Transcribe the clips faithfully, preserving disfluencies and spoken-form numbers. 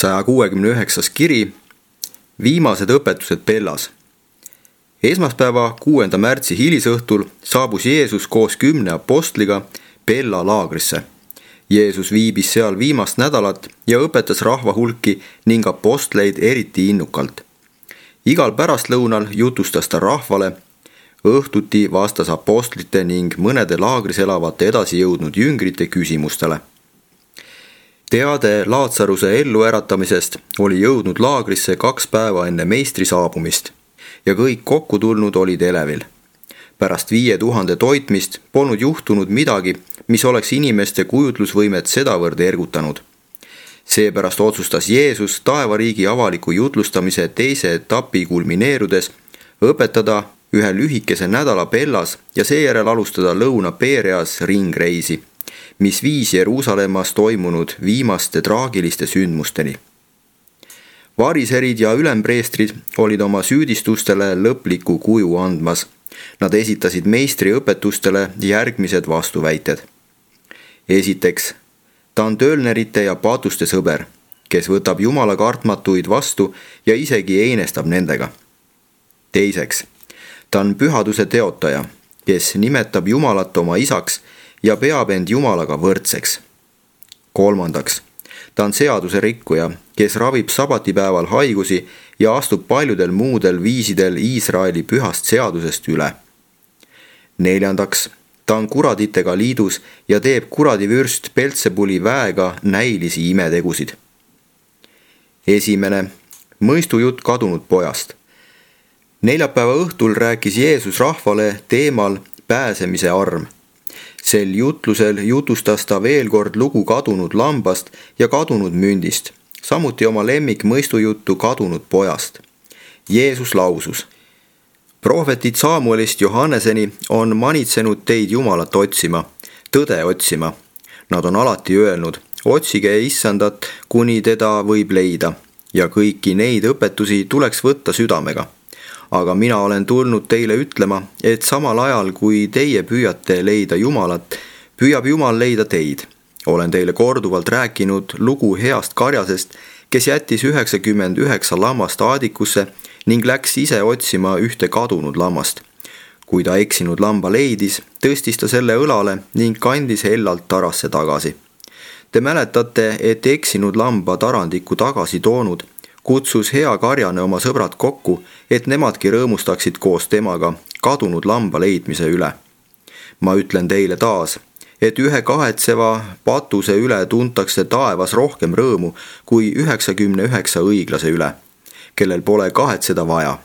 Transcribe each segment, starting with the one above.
saja kuuekümne üheksas kiri, viimased õpetused Bellas. Esmaspäeva, kuuenda märtsi hilisõhtul saabus Jeesus koos kümne apostliga Bella laagrisse. Jeesus viibis seal viimast nädalat ja õpetas rahva hulki ning apostleid eriti innukalt. Igal pärastlõunal jutustas ta rahvale, õhtuti vastas apostlite ning mõnede laagris elavate edasi jõudnud jüngrite küsimustele. Teade Laatsaruse elluäratamisest oli jõudnud laagrisse kaks päeva enne meistri saabumist ja kõik kokku tulnud olid elevil. Pärast viie tuhande toitmist polnud juhtunud midagi, mis oleks inimeste kujutlusvõimet sedavõrd ergutanud. Seepärast otsustas Jeesus taevariigi avaliku jutlustamise teise etapi kulmineerudes õpetada ühe lühikese nädala Bellas ja seejärel alustada Lõuna-Pereas ringreisi, mis viis Jeruusalemmas toimunud viimaste traagiliste sündmusteni. Variserid ja ülempreestrid olid oma süüdistustele lõpliku kuju andmas. Nad esitasid meistri õpetustele järgmised vastuväited. Esiteks, ta on töölnerite ja patuste sõber, kes võtab Jumala kartmatuid vastu ja isegi einestab nendega. Teiseks, ta on pühaduse teotaja, kes nimetab Jumalat oma isaks ja peab end Jumalaga võrdseks. Kolmandaks, ta on seaduse rikkuja, kes ravib sabatipäeval haigusi ja astub paljudel muudel viisidel Iisraeli pühast seadusest üle. Neljandaks, ta on kuraditega liidus ja teeb kuradivürst Beltsebuli väega näilisi imetegusid. Esimene, mõistujutt kadunud pojast. Neljapäeva õhtul rääkis Jeesus rahvale teemal pääsemise arm. Sel jutlusel jutustas ta veel kord lugu kadunud lambast ja kadunud mündist, samuti oma lemmik mõistujuttu kadunud pojast. Jeesus lausus: prohvetid Samuelist Johanneseni on manitsenud teid Jumalat otsima, tõde otsima. Nad on alati öelnud, otsige issandat, kuni teda võib leida, ja kõiki neid õpetusi tuleks võtta südamega. Aga mina olen tulnud teile ütlema, et samal ajal, kui teie püüate leida Jumalat, püüab Jumal leida teid. Olen teile korduvalt rääkinud lugu heast karjasest, kes jättis üheksakümmend üheksa lammast aadikusse ning läks ise otsima ühte kadunud lammast. Kui ta eksinud lamba leidis, tõstis ta selle õlale ning kandis hellalt tarasse tagasi. Te mäletate, et eksinud lamba tarandiku tagasi toonud, kutsus hea karjane oma sõbrad kokku, et nemadki rõõmustaksid koos temaga kadunud lamba leidmise üle. Ma ütlen teile taas, et ühe kahetseva patuse üle tuntakse taevas rohkem rõõmu kui üheksakümne üheksa õiglase üle, kellel pole kahetseda vaja.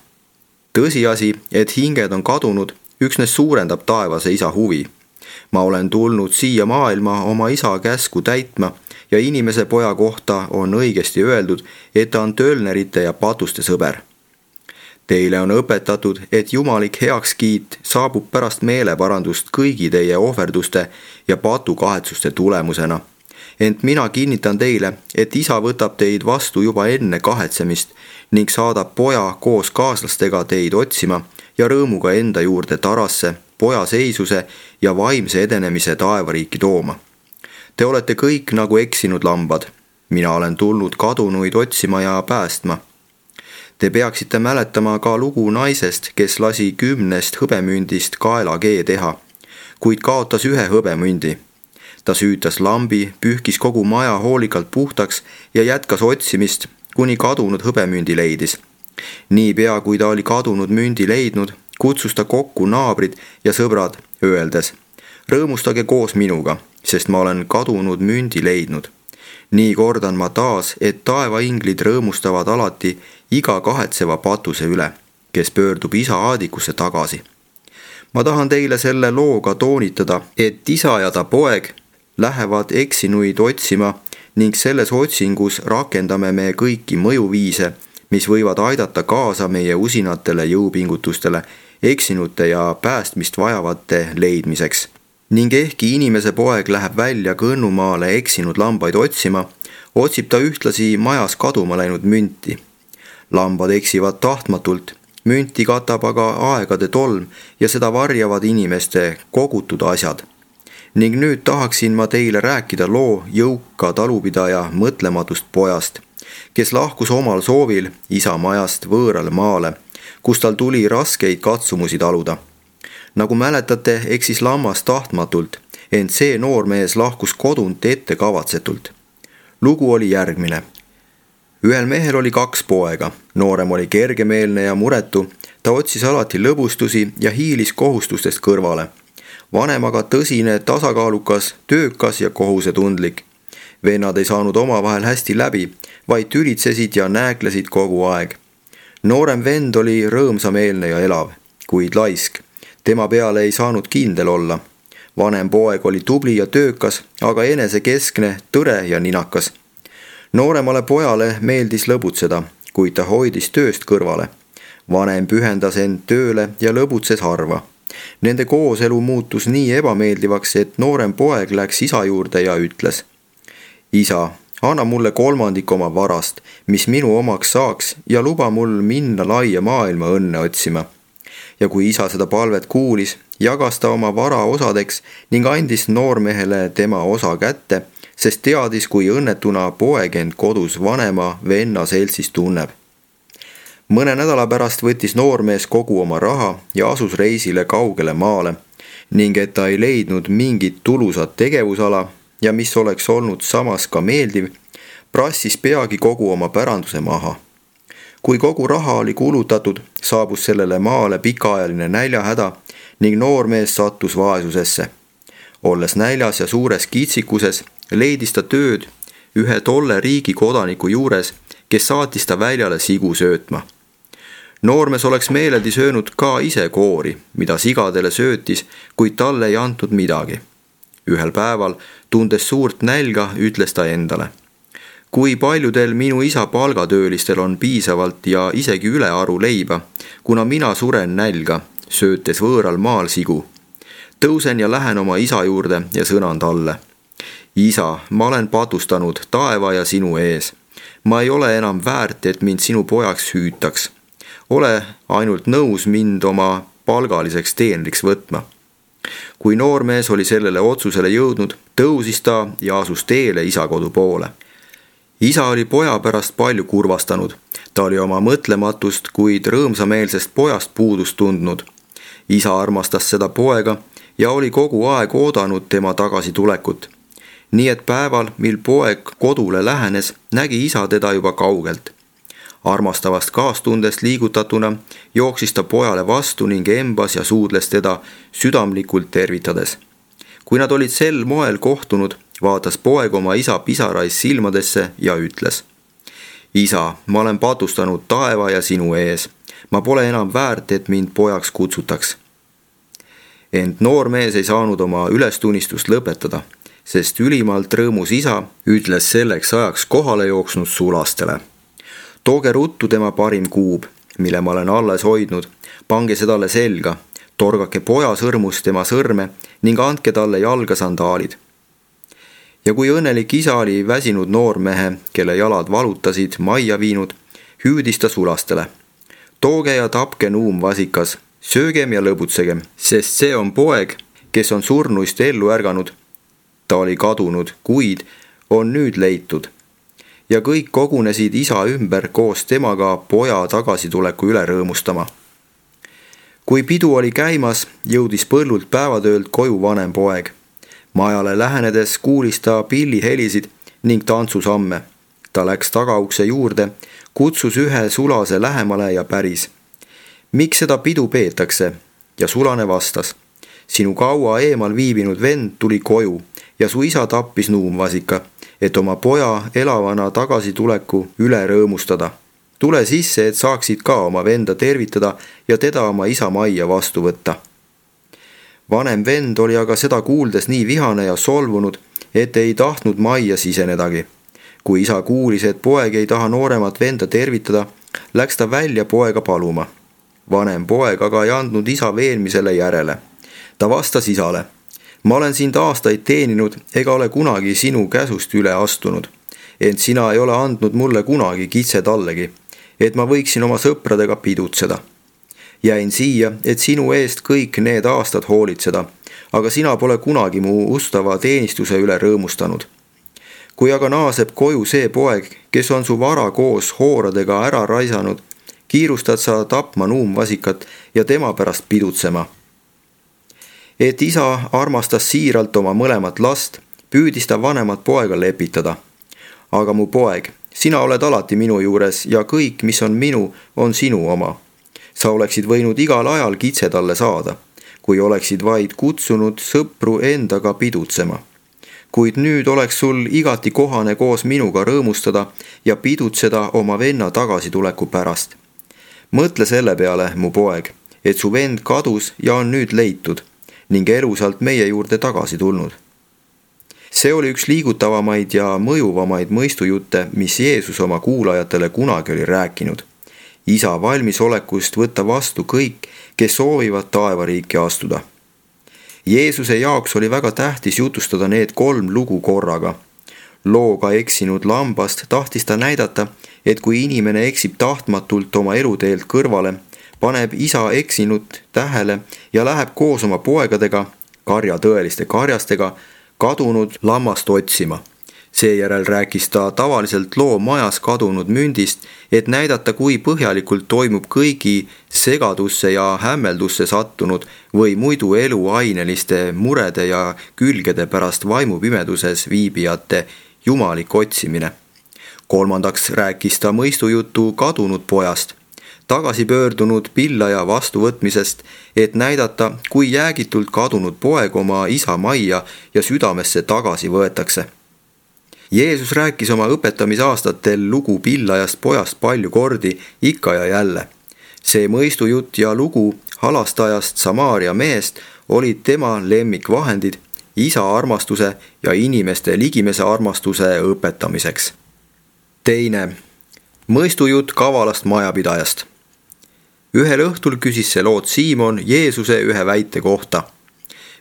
Tõsiasi, et hinged on kadunud, üksnes suurendab taevase isa huvi. Ma olen tulnud siia maailma oma isa käsku täitma ja inimese poja kohta on õigesti öeldud, et ta on töölnerite ja patuste sõber. Teile on õpetatud, et jumalik heakskiit saabub pärast meeleparandust kõigi teie ohverduste ja patukahetsuste tulemusena. Ent mina kinnitan teile, et isa võtab teid vastu juba enne kahetsemist ning saadab poja koos kaaslastega teid otsima ja rõõmuga enda juurde tarasse, poja seisuse ja vaimse edenemise taevariiki tooma. Te olete kõik nagu eksinud lambad. Mina olen tulnud kadunuid otsima ja päästma. Te peaksite mäletama ka lugu naisest, kes lasi kümnest hõbemündist kaelakee teha, kuid kaotas ühe hõbemündi. Ta süütas lambi, pühkis kogu maja hoolikalt puhtaks ja jätkas otsimist, kuni kadunud hõbemündi leidis. Niipea, kui ta oli kadunud mündi leidnud, kutsus ta kokku naabrid ja sõbrad, öeldes: rõõmustage koos minuga, sest ma olen kadunud mündi leidnud. Nii kordan ma taas, et taevainglid rõõmustavad alati iga kahetseva patuse üle, kes pöördub isa aadikusse tagasi. Ma tahan teile selle looga toonitada, et isa ja ta poeg lähevad eksinuid otsima ning selles otsingus rakendame me kõiki mõjuviise, mis võivad aidata kaasa meie usinatele jõupingutustele eksinute ja päästmist vajavate leidmiseks. Ning ehkki inimese poeg läheb välja kõnnumaale eksinud lambaid otsima, otsib ta ühtlasi majas kaduma läinud münti. Lambad eksivad tahtmatult, münti katab aga aegade tolm ja seda varjavad inimeste kogutud asjad. Ning nüüd tahaksin ma teile rääkida loo jõuka talupidaja mõtlematust pojast, kes lahkus omal soovil isa majast võõrale maale, kus tal tuli raskeid katsumusi taluda. Nagu mäletate, eksis lammas tahtmatult, ent see noormees lahkus kodunt ettekavatsetult. Lugu oli järgmine. Ühel mehel oli kaks poega, noorem oli kergemeelne ja muretu, ta otsis alati lõbustusi ja hiilis kohustustest kõrvale. Vanem aga tõsine, tasakaalukas, töökas ja kohusetundlik. Vennad ei saanud omavahel hästi läbi, vaid tülitsesid ja nääklesid kogu aeg. Noorem vend oli rõõmsameelne ja elav, kuid laisk. Tema peale ei saanud kindel olla. Vanem poeg oli tubli ja töökas, aga enesekeskne, tõre ja ninakas. Nooremale pojale meeldis lõbutseda, kuid ta hoidis tööst kõrvale. Vanem pühendas end tööle ja lõbutses harva. Nende kooselu muutus nii ebameeldivaks, et noorem poeg läks isa juurde ja ütles: Isa, anna mulle kolmandik oma varast, mis minu omaks saaks, ja luba mul minna laia maailma õnne otsima. Ja kui isa seda palvet kuulis, jagas ta oma vara osadeks ning andis noormehele tema osa kätte, sest teadis, kui õnnetuna poeg end kodus vanema venna seltsis tunneb. Mõne nädala pärast võttis noormees kogu oma raha ja asus reisile kaugele maale ning et ta ei leidnud mingit tulusat tegevusala ja mis oleks olnud samas ka meeldiv, prassis peagi kogu oma päranduse maha. Kui kogu raha oli kulutatud, saabus sellele maale pikaajaline näljahäda ning noormees sattus vaesusesse. Olles näljas ja suures kitsikuses, leidis ta tööd ühe tolle riigi kodaniku juures, kes saatis ta väljale sigu söötma. Noormees oleks meeleldi söönud ka ise koori, mida sigadele söötis, kuid talle ei antud midagi. Ühel päeval, tundes suurt nälga, ütles ta endale: kui paljudel minu isa palgatöölistel on piisavalt ja isegi ülearu leiba, kuna mina suren nälga, söötes võõral maal sigu. Tõusen ja lähen oma isa juurde ja sõnan talle: Isa, ma olen patustanud taeva ja sinu ees. Ma ei ole enam väärt, et mind sinu pojaks hüütaks. Ole ainult nõus mind oma palgaliseks teenriks võtma. Kui noormees oli sellele otsusele jõudnud, tõusis ta ja asus teele isa kodu poole. Isa oli poja pärast palju kurvastanud. Ta oli oma mõtlematust, kuid rõõmsameelsest pojast puudust tundnud. Isa armastas seda poega ja oli kogu aeg oodanud tema tagasitulekut. Nii et päeval, mil poeg kodule lähenes, nägi isa teda juba kaugelt. Armastavast kaastundest liigutatuna jooksis ta pojale vastu ning embas ja suudles teda südamlikult tervitades. Kui nad olid sel moel kohtunud, vaatas poeg oma isa pisarais silmadesse ja ütles: Isa, ma olen patustanud taeva ja sinu ees. Ma pole enam väärt, et mind pojaks kutsutaks. Ent noormees ei saanud oma ülestunnistust lõpetada, sest ülimalt rõõmus isa ütles selleks ajaks kohale jooksnud sulastele: Tooge ruttu tema parim kuub, mille ma olen alles hoidnud, pange sedale selga, torgake poja sõrmust tema sõrme ning andke talle jalga sandaalid. Ja kui õnnelik isa oli väsinud noormehe, kelle jalad valutasid, majja viinud, hüüdis ta sulastele: Tooge ja tapke nuumvasikas, söögem ja lõbutsegem, sest see on poeg, kes on surnuist ellu ärganud. Ta oli kadunud, kuid on nüüd leitud. Ja kõik kogunesid isa ümber koos temaga poja tagasituleku üle rõõmustama. Kui pidu oli käimas, jõudis põllult päevatöölt koju vanem poeg. Majale lähenedes kuulis ta pillihelisid ning tantsusamme. Ta läks tagaukse juurde, kutsus ühe sulase lähemale ja päris: Miks seda pidu peetakse? Ja sulane vastas: Sinu kaua eemal viibinud vend tuli koju ja su isa tappis nuumvasika, et oma poja elavana tagasituleku üle rõõmustada. Tule sisse, et saaksid ka oma venda tervitada ja teda oma isa majja vastu võtta. Vanem vend oli aga seda kuuldes nii vihane ja solvunud, et ei tahtnud majja sisenedagi. Kui isa kuulis, et poeg ei taha nooremat venda tervitada, läks ta välja poega paluma. Vanem poeg aga ei andnud isa veenmisele järele. Ta vastas isale: Ma olen sind aastaid teeninud ega ole kunagi sinu käsust üle astunud, ent sina ei ole andnud mulle kunagi kitse tallegi, et ma võiksin oma sõpradega pidutseda. Jäin siia, et sinu eest kõik need aastad hoolitseda, aga sina pole kunagi mu ustava teenistuse üle rõõmustanud. kui aga naaseb koju see poeg, kes on su vara koos hooradega ära raisanud, kiirustad sa tapma nuumvasikat ja tema pärast pidutsema. Et isa armastas siiralt oma mõlemat last, püüdis ta vanemat poega lepitada. Aga mu poeg, sina oled alati minu juures ja kõik, mis on minu, on sinu oma. Sa oleksid võinud igal ajal kitse talle saada, kui oleksid vaid kutsunud sõpru endaga pidutsema. Kuid nüüd oleks sul igati kohane koos minuga rõõmustada ja pidutseda oma venna tagasituleku pärast. Mõtle selle peale, mu poeg, et su vend kadus ja on nüüd leitud ning elusalt meie juurde tagasi tulnud. See oli üks liigutavamaid ja mõjuvamaid mõistujutte, mis Jeesus oma kuulajatele kunagi oli rääkinud. Isa valmisolekust võtta vastu kõik, kes soovivad taevariiki astuda. Jeesuse jaoks oli väga tähtis jutustada need kolm lugu korraga. Looga eksinud lambast tahtis ta näidata, et kui inimene eksib tahtmatult oma eluteelt kõrvale, paneb isa eksinut tähele ja läheb koos oma poegadega, karja tõeliste karjastega, kadunud lammast otsima. Seejärel rääkis ta tavaliselt loo majas kadunud mündist, et näidata, kui põhjalikult toimub kõigi segadusse ja hämmeldusse sattunud või muidu eluaineliste murede ja külgede pärast vaimupimeduses viibijate jumalik otsimine. Kolmandaks rääkis ta mõistujutu kadunud pojast, tagasi pöördunud pillaja vastuvõtmisest, et näidata, kui jäägitult kadunud poeg oma isa majja ja südamesse tagasi võetakse. Jeesus rääkis oma õpetamisaastatel lugu pillajast pojast palju kordi, ikka ja jälle. See mõistujutt ja lugu halastajast Samaaria mehest olid tema lemmikvahendid isa armastuse ja inimeste ligimese armastuse õpetamiseks. Teine, mõistujutt kavalast majapidajast. Ühel õhtul küsis see lood Siimon Jeesuse ühe väite kohta.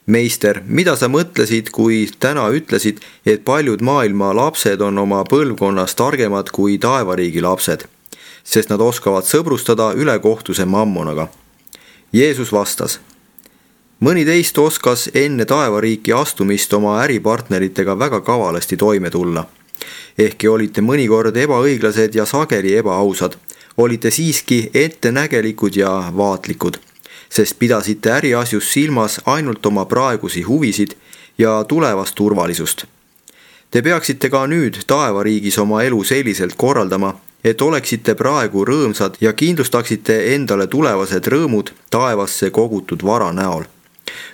Meister, mida sa mõtlesid, kui täna ütlesid, et paljud maailma lapsed on oma põlvkonnas targemad kui taevariigi lapsed, sest nad oskavad sõbrustada ülekohtuse mammonaga? Jeesus vastas, mõni teist oskas enne taevariiki astumist oma äripartneritega väga kavalasti toime tulla. Ehkki olite mõnikord ebaõiglased ja sageli ebaausad, olite siiski ettenägelikud ja vaatlikud, sest pidasite äriasjus silmas ainult oma praegusi huvisid ja tulevast turvalisust. Te peaksite ka nüüd taevariigis oma elu selliselt korraldama, et oleksite praegu rõõmsad ja kindlustaksite endale tulevased rõõmud taevasse kogutud vara näol.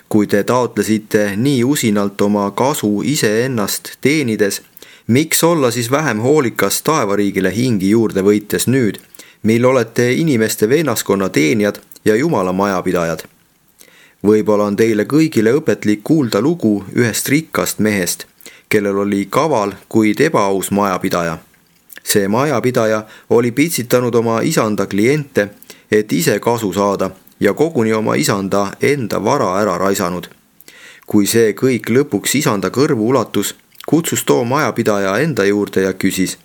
Kui te taotlesite nii usinalt oma kasu iseennast teenides, miks olla siis vähem hoolikas taevariigile hingi juurde võites nüüd, mil olete inimeste vennaskonna teenijad ja Jumala majapidajad? Võib-olla on teile kõigile õpetlik kuulda lugu ühest rikkast mehest, kellel oli kaval, kuid ebaaus majapidaja. See majapidaja oli pitsitanud oma isanda kliente, et ise kasu saada ja koguni oma isanda enda vara ära raisanud. Kui see kõik lõpuks isanda kõrvu ulatus, kutsus too majapidaja enda juurde ja küsis,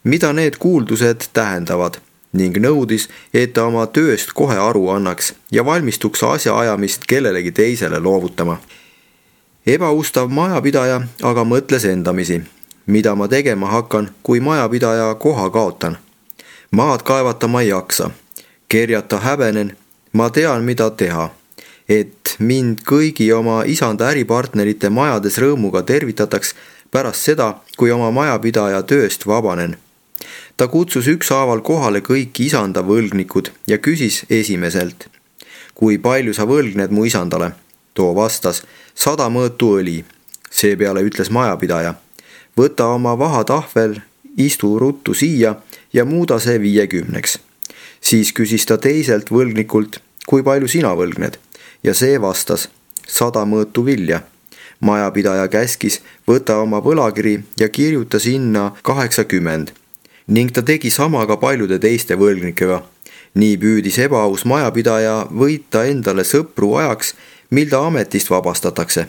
mida need kuuldused tähendavad, ning nõudis, et ta oma tööst kohe aru annaks ja valmistuks asjaajamist kellelegi teisele loovutama. Ebaustav majapidaja aga mõtles endamisi, mida ma tegema hakkan, kui majapidaja koha kaotan. Maad kaevata ma ei jaksa, kerjata häbenen, ma tean, mida teha, et mind kõigi oma isanda äripartnerite majades rõõmuga tervitataks pärast seda, kui oma majapidaja tööst vabanen. Ta kutsus ükshaaval kohale kõik isanda võlgnikud ja küsis esimeselt, kui palju sa võlgned mu isandale? Too vastas, sada mõõtu õli. Seepeale ütles majapidaja, võta oma vahatahvel, istu ruttu siia ja muuda see viiekümneks. Siis küsis ta teiselt võlgnikult, kui palju sina võlgned? Ja see vastas, sada mõõtu vilja. Majapidaja käskis, võta oma võlakiri ja kirjuta sinna kaheksakümmend. Ning ta tegi sama ka paljude teiste võlgnikega. Nii püüdis ebaaus majapidaja võita endale sõpru ajaks, mil ta ametist vabastatakse.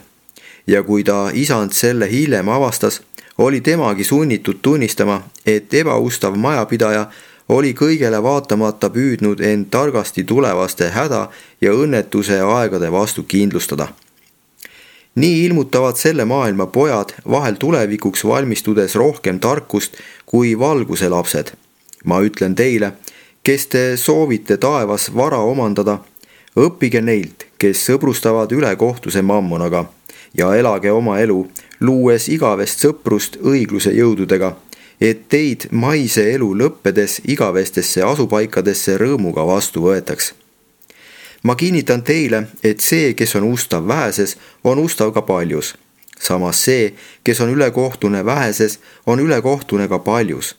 Ja kui ta isand selle hiljem avastas, oli temagi sunnitud tunnistama, et ebaustav majapidaja oli kõigele vaatamata püüdnud end targasti tulevaste häda ja õnnetuse aegade vastu kindlustada. nii ilmutavad selle maailma pojad vahel tulevikuks valmistudes rohkem tarkust kui valguse lapsed. Ma ütlen teile, kes te soovite taevas vara omandada, õppige neilt, kes sõbrustavad ülekohtuse mammonaga ja elage oma elu, luues igavest sõprust õigluse jõududega, et teid maise elu lõppedes igavestesse asupaikadesse rõõmuga vastu võetaks. Ma kinnitan teile, et see, kes on ustav väheses, on ustav ka paljus. Samas see, kes on ülekohtune väheses, on ülekohtune ka paljus.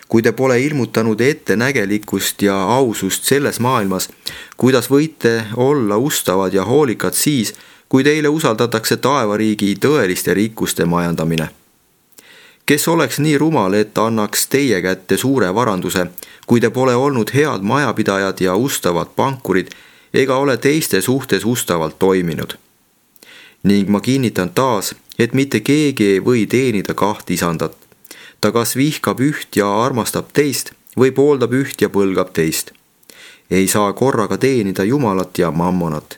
Kui te pole ilmutanud ettenägelikkust ja ausust selles maailmas, kuidas võite olla ustavad ja hoolikad siis, kui teile usaldatakse taevariigi tõeliste rikkuste majandamine. Kes oleks nii rumal, et annaks teie kätte suure varanduse, kui te pole olnud head majapidajad ja ustavad pankurid, ega ole teiste suhtes ustavalt toiminud. Ning ma kinnitan taas, et mitte keegi ei või teenida kaht isandat. Ta kas vihkab üht ja armastab teist või pooldab üht ja põlgab teist. Ei saa korraga teenida Jumalat ja mammonat.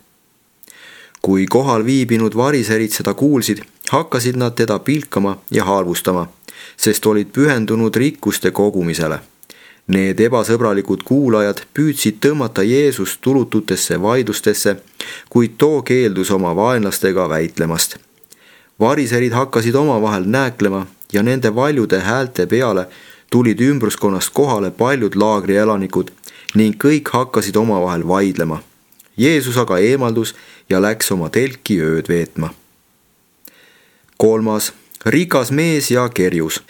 Kui kohal viibinud variserid seda kuulsid, hakkasid nad teda pilkama ja halvustama, sest olid pühendunud rikkuste kogumisele. Need ebasõbralikud kuulajad püüdsid tõmmata Jeesust tulututesse vaidlustesse, kuid too keeldus oma vaenlastega väitlemast. Variserid hakkasid omavahel nääklema ja nende valjude häälte peale tulid ümbruskonnast kohale paljud laagrielanikud ning kõik hakkasid omavahel vaidlema. Jeesus aga eemaldus ja läks oma telki ööd veetma. Kolmas, rikas mees ja kerjus.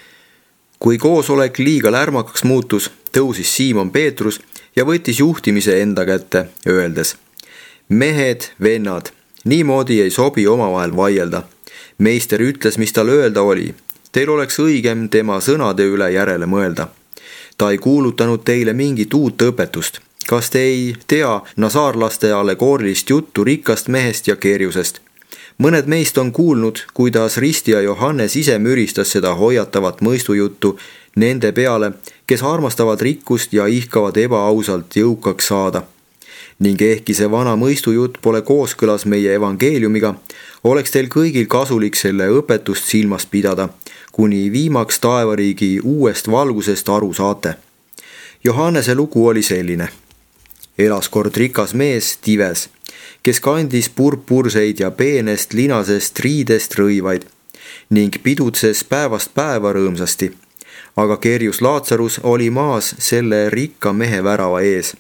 Kui koosolek liiga lärmakaks muutus, tõusis Siimon Peetrus ja võttis juhtimise enda kätte, öeldes: mehed, vennad, niimoodi ei sobi omavahel vaielda. Meister ütles, mis tal öelda oli. Teil oleks õigem tema sõnade üle järele mõelda. Ta ei kuulutanud teile mingit uut õpetust. Kas te ei tea nasaarlaste allegoorilist juttu rikkast mehest ja kerjusest? Mõned meist on kuulnud, kuidas ristija Johannes ise müristas seda hoiatavat mõistujuttu nende peale, kes armastavad rikkust ja ihkavad ebaausalt jõukaks saada. Ning ehkki see vana mõistujutt pole kooskõlas meie evangeeliumiga, oleks teil kõigil kasulik selle õpetust silmas pidada, kuni viimaks taevariigi uuest valgusest aru saate. Johannese lugu oli selline. Elas kord rikas mees Tives, kes kandis purpurseid ja peenest linasest riidest rõivaid ning pidutses päevast päeva rõõmsasti. Aga kerjus Laatsarus oli maas selle rikka mehe värava ees,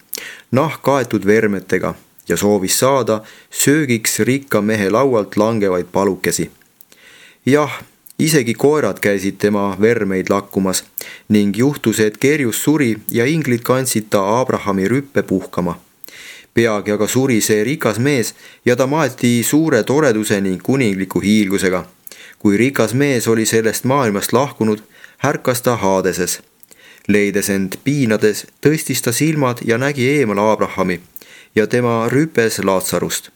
nahk kaetud vermetega ja soovis saada söögiks rikka mehe laualt langevaid palukesi. Jah, isegi koerad käisid tema vermeid lakkumas ning juhtus, et kerjus suri ja inglid kandsid ta Abrahami rüppe puhkama. Peagi aga suri see rikas mees ja ta maeti suure toreduse ning kuningliku hiilgusega. Kui rikas mees oli sellest maailmast lahkunud, härkas ta Haadeses. Leides end piinades, tõstis ta silmad ja nägi eemal Abrahami ja tema rüpes Laatsarust.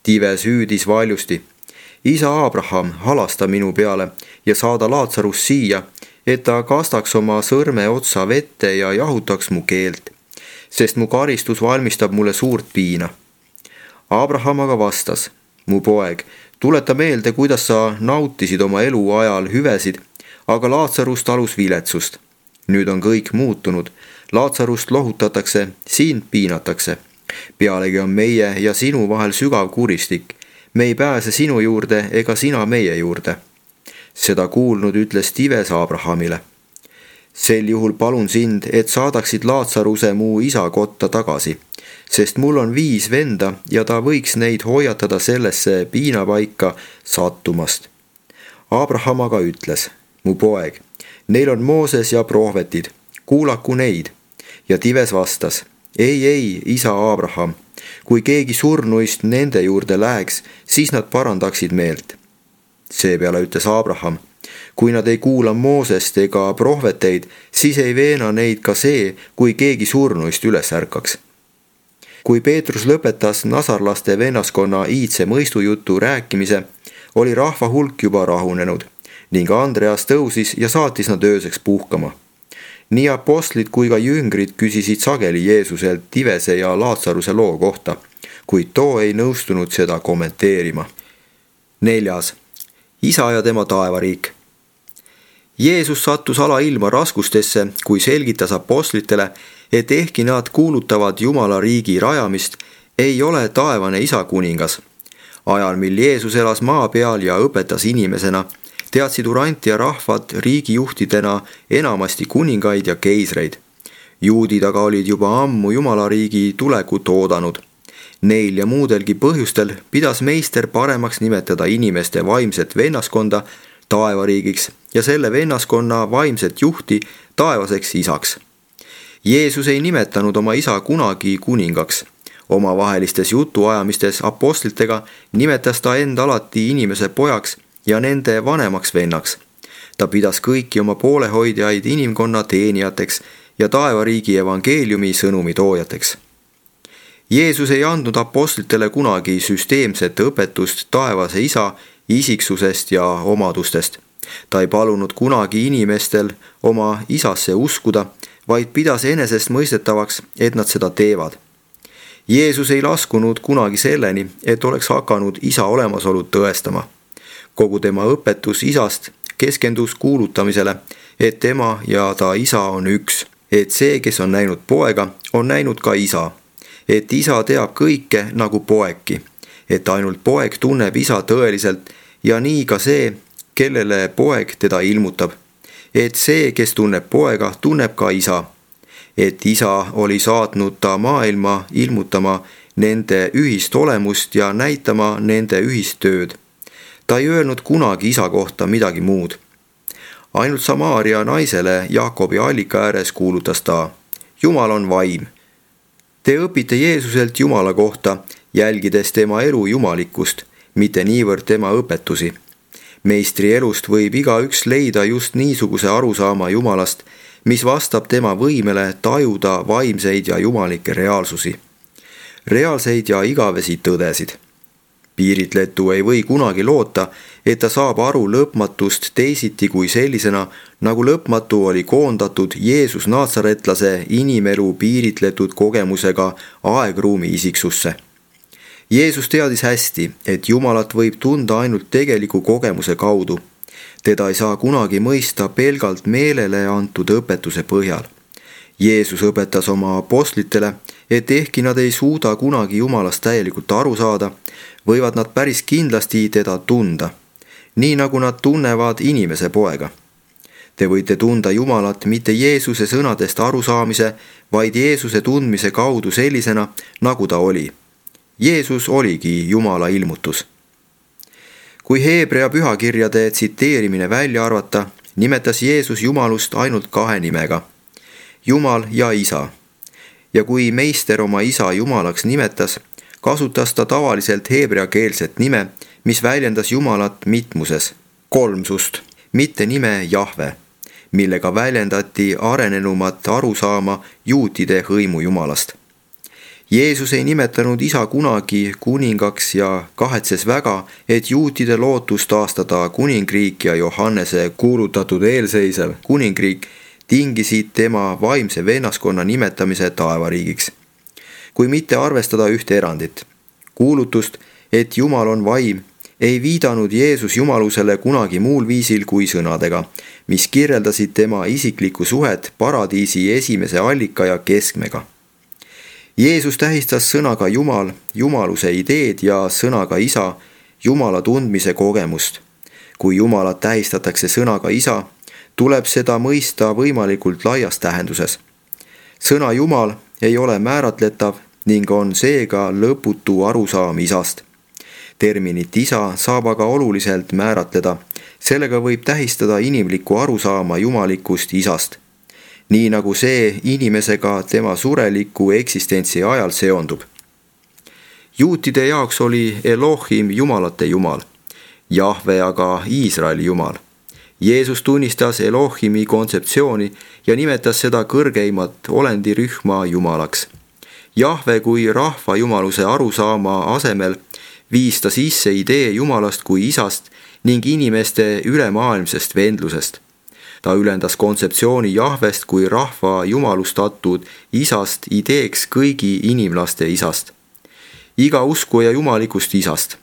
Tives hüüdis valjusti: isa Abraham, halasta minu peale ja saada Laatsarus siia, et ta kastaks oma sõrme otsa vette ja jahutaks mu keelt, sest mu karistus valmistab mulle suurt piina. Abraham aga vastas: mu poeg, tuleta meelde, kuidas sa nautisid oma elu ajal hüvesid, aga Laatsarust talus viletsust. Nüüd on kõik muutunud. Laatsarust lohutatakse, sind piinatakse. Pealegi on meie ja sinu vahel sügav kuristik. Me ei pääse sinu juurde ega sina meie juurde. Seda kuulnud ütles Tives Abrahamile: sel juhul palun sind, et saadaksid Laatsaruse mu isa kotta tagasi, sest mul on viis venda ja ta võiks neid hoiatada sellesse piinapaika sattumast. Abraham aga ütles: mu poeg, neil on Mooses ja prohvetid, kuulaku neid. Ja Tives vastas: ei, ei, isa Abraham, kui keegi surnuist nende juurde läheks, siis nad parandaksid meelt. Seepeale ütles Abraham: kui nad ei kuula Moosest ega prohveteid, siis ei veena neid ka see, kui keegi surnuist üles ärkaks. Kui Peetrus lõpetas nasarlaste vennaskonna iidse mõistujutu rääkimise, oli rahva hulk juba rahunenud ning Andreas tõusis ja saatis nad ööseks puhkama. Nii apostlid kui ka jüngrid küsisid sageli Jeesuselt Tivese ja Laatsaruse loo kohta, kuid too ei nõustunud seda kommenteerima. neljas, isa ja tema taevariik. Jeesus sattus alailma raskustesse, kui selgitas apostlitele, et ehkki nad kuulutavad Jumala riigi rajamist, ei ole taevane isa kuningas. Ajal, mil Jeesus elas maa peal ja õpetas inimesena, teadsid Urantia rahvad riigijuhtidena enamasti kuningaid ja keisreid. Juudid aga olid juba ammu Jumala riigi tulekut oodanud. Neil ja muudelgi põhjustel pidas meister paremaks nimetada inimeste vaimset vennaskonda taevariigiks ja selle vennaskonna vaimset juhti taevaseks isaks. Jeesus ei nimetanud oma isa kunagi kuningaks. Omavahelistes jutuajamistes apostlitega nimetas ta end alati inimese pojaks ja nende vanemaks vennaks. Ta pidas kõiki oma poolehoidjaid inimkonna teenijateks ja taevariigi evangeeliumi sõnumi toojateks. Jeesus ei andnud apostlitele kunagi süsteemset õpetust taevase isa isiksusest ja omadustest. Ta ei palunud kunagi inimestel oma isasse uskuda, vaid pidas enesestmõistetavaks, et nad seda teevad. Jeesus ei laskunud kunagi selleni, et oleks hakanud isa olemasolu tõestama. Kogu tema õpetus isast keskendus kuulutamisele, et tema ja ta isa on üks, et see, kes on näinud poega, on näinud ka isa, et isa teab kõike nagu poegki, et ainult poeg tunneb isa tõeliselt ja nii ka see, kellele poeg teda ilmutab, et see, kes tunneb poega, tunneb ka isa, et isa oli saatnud ta maailma ilmutama nende ühist olemust ja näitama nende ühist tööd. Ta ei öelnud kunagi isa kohta midagi muud. Ainult Samaaria naisele Jaakobi allika ääres kuulutas ta: Jumal on vaim. Te õpite Jeesuselt Jumala kohta, jälgides tema elu jumalikkust, mitte niivõrd tema õpetusi. Meistri elust võib igaüks leida just niisuguse arusaama Jumalast, mis vastab tema võimele tajuda vaimseid ja jumalikke reaalsusi, reaalseid ja igavesi tõdesid. Piiritletu ei või kunagi loota, et ta saab aru lõpmatust teisiti kui sellisena, nagu lõpmatu oli koondatud Jeesus naatsaretlase inimelu piiritletud kogemusega aegruumi isiksusse. Jeesus teadis hästi, et Jumalat võib tunda ainult tegeliku kogemuse kaudu. Teda ei saa kunagi mõista pelgalt meelele antud õpetuse põhjal. Jeesus õpetas oma apostlitele, et ehkki nad ei suuda kunagi Jumalast täielikult aru saada, võivad nad päris kindlasti teda tunda, nii nagu nad tunnevad inimese poega. Te võite tunda Jumalat mitte Jeesuse sõnadest arusaamise, vaid Jeesuse tundmise kaudu sellisena, nagu ta oli. Jeesus oligi Jumala ilmutus. Kui Heebrea pühakirjade tsiteerimine välja arvata, nimetas Jeesus Jumalust ainult kahe nimega: Jumal ja isa. Ja kui meister oma isa Jumalaks nimetas, kasutas ta tavaliselt heebreakeelset nime, mis väljendas Jumalat mitmuses, kolmsust, mitte nime Jahve, millega väljendati arenenumat arusaama juutide hõimu Jumalast. Jeesus ei nimetanud isa kunagi kuningaks ja kahetses väga, et juutide lootus taastada kuningriik ja Johannese kuulutatud eelseisev kuningriik tingisid tema vaimse vennaskonna nimetamise taevariigiks. Kui mitte arvestada ühte erandit, kuulutust, et Jumal on vaim, ei viidanud Jeesus Jumalusele kunagi muul viisil kui sõnadega, mis kirjeldasid tema isiklikku suhet paradiisi esimese allika ja keskmega. Jeesus tähistas sõnaga Jumal, Jumaluse ideed ja sõnaga isa, Jumala tundmise kogemust. Kui Jumalat tähistatakse sõnaga isa, tuleb seda mõista võimalikult laias tähenduses. Sõna Jumal ei ole määratletav ning on seega lõputu arusaam isast. Terminit isa saab aga oluliselt määratleda, sellega võib tähistada inimlikku arusaama jumalikust isast, nii nagu see inimesega tema sureliku eksistentsi ajal seondub. Juutide jaoks oli Elohim jumalate jumal, Jahve aga Iisraeli jumal. Jeesus tunnistas Elohimi kontseptsiooni ja nimetas seda kõrgeimat olendirühma jumalaks. Jahve kui rahva jumaluse arusaama asemel viis ta sisse idee Jumalast kui isast ning inimeste ülemaailmsest vendlusest. Ta ülendas kontseptsiooni Jahvest kui rahva jumalustatud isast ideeks kõigi inimlaste isast, iga uskuja jumalikust isast,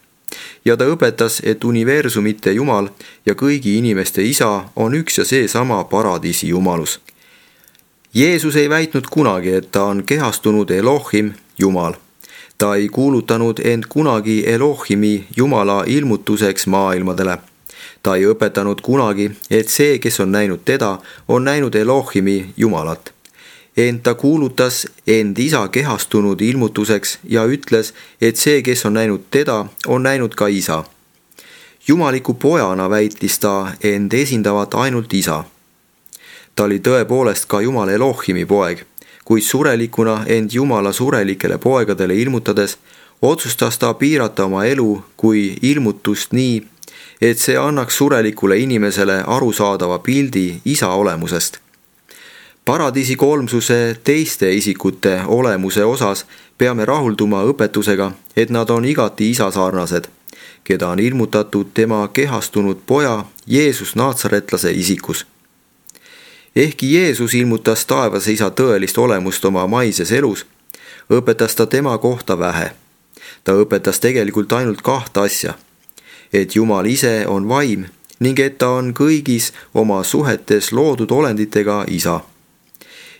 ja ta õpetas, et universumite Jumal ja kõigi inimeste isa on üks ja seesama paradiisi jumalus. Jeesus ei väitnud kunagi, et ta on kehastunud Elohim, Jumal. Ta ei kuulutanud end kunagi Elohimi Jumala ilmutuseks maailmadele. Ta ei õpetanud kunagi, et see, kes on näinud teda, on näinud Elohimi Jumalat. Ent ta kuulutas end isa kehastunud ilmutuseks ja ütles, et see, kes on näinud teda, on näinud ka isa. Jumaliku pojana väitis ta end esindavat ainult isa. Ta oli tõepoolest ka Jumala Elohimi poeg, kuid surelikuna end Jumala surelikele poegadele ilmutades otsustas ta piirata oma elu kui ilmutust nii, et see annaks surelikule inimesele arusaadava pildi isa olemusest. Paradiisi kolmsuse teiste isikute olemuse osas peame rahulduma õpetusega, et nad on igati isasarnased, keda on ilmutatud tema kehastunud poja Jeesus Naatsaretlase isikus. Ehkki Jeesus ilmutas taevase isa tõelist olemust oma maises elus, õpetas ta tema kohta vähe. Ta õpetas tegelikult ainult kahte asja, et Jumal ise on vaim ning et ta on kõigis oma suhetes loodud olenditega isa.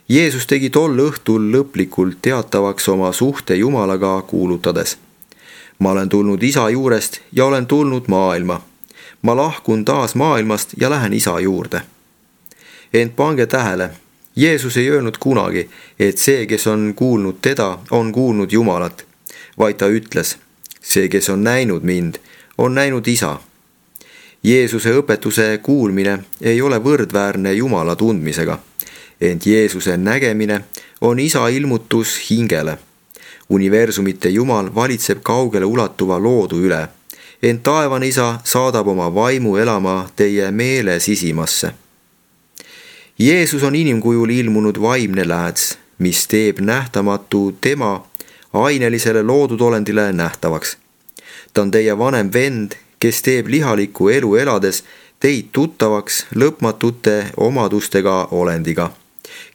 Jeesus tegi tol õhtul lõplikult teatavaks oma suhte Jumalaga kuulutades. Ma olen tulnud isa juurest ja olen tulnud maailma. Ma lahkun taas maailmast ja lähen isa juurde. Ent pange tähele, Jeesus ei öelnud kunagi, et see, kes on kuulnud teda, on kuulnud Jumalat, vaid ta ütles, see, kes on näinud mind, on näinud isa. Jeesuse õpetuse kuulmine ei ole võrdväärne Jumala tundmisega, ent Jeesuse nägemine on isa ilmutus hingele. Universumite Jumal valitseb kaugele ulatuva loodu üle, ent taevane isa saadab oma vaimu elama teie meele sisimasse. Jeesus on inimkujul ilmunud vaimne lääts, mis teeb nähtamatu tema ainelisele loodud olendile nähtavaks. Ta on teie vanem vend, kes teeb lihalikku elu elades teid tuttavaks lõpmatute omadustega olendiga,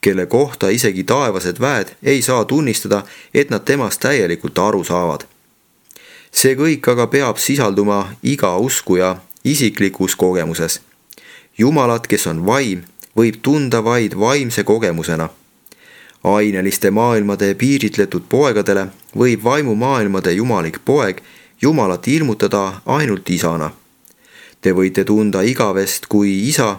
kelle kohta isegi taevased väed ei saa tunnistada, et nad temast täielikult aru saavad. See kõik aga peab sisalduma iga uskuja isiklikus kogemuses. Jumalat, kes on vaim, võib tunda vaid vaimse kogemusena. Aineliste maailmade piiritletud poegadele võib vaimumaailmade jumalik poeg Jumalat ilmutada ainult isana. Te võite tunda igavest kui isa,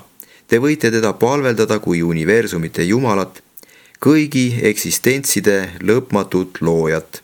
te võite teda palveldada kui universumite Jumalat, kõigi eksistentside lõpmatut loojat.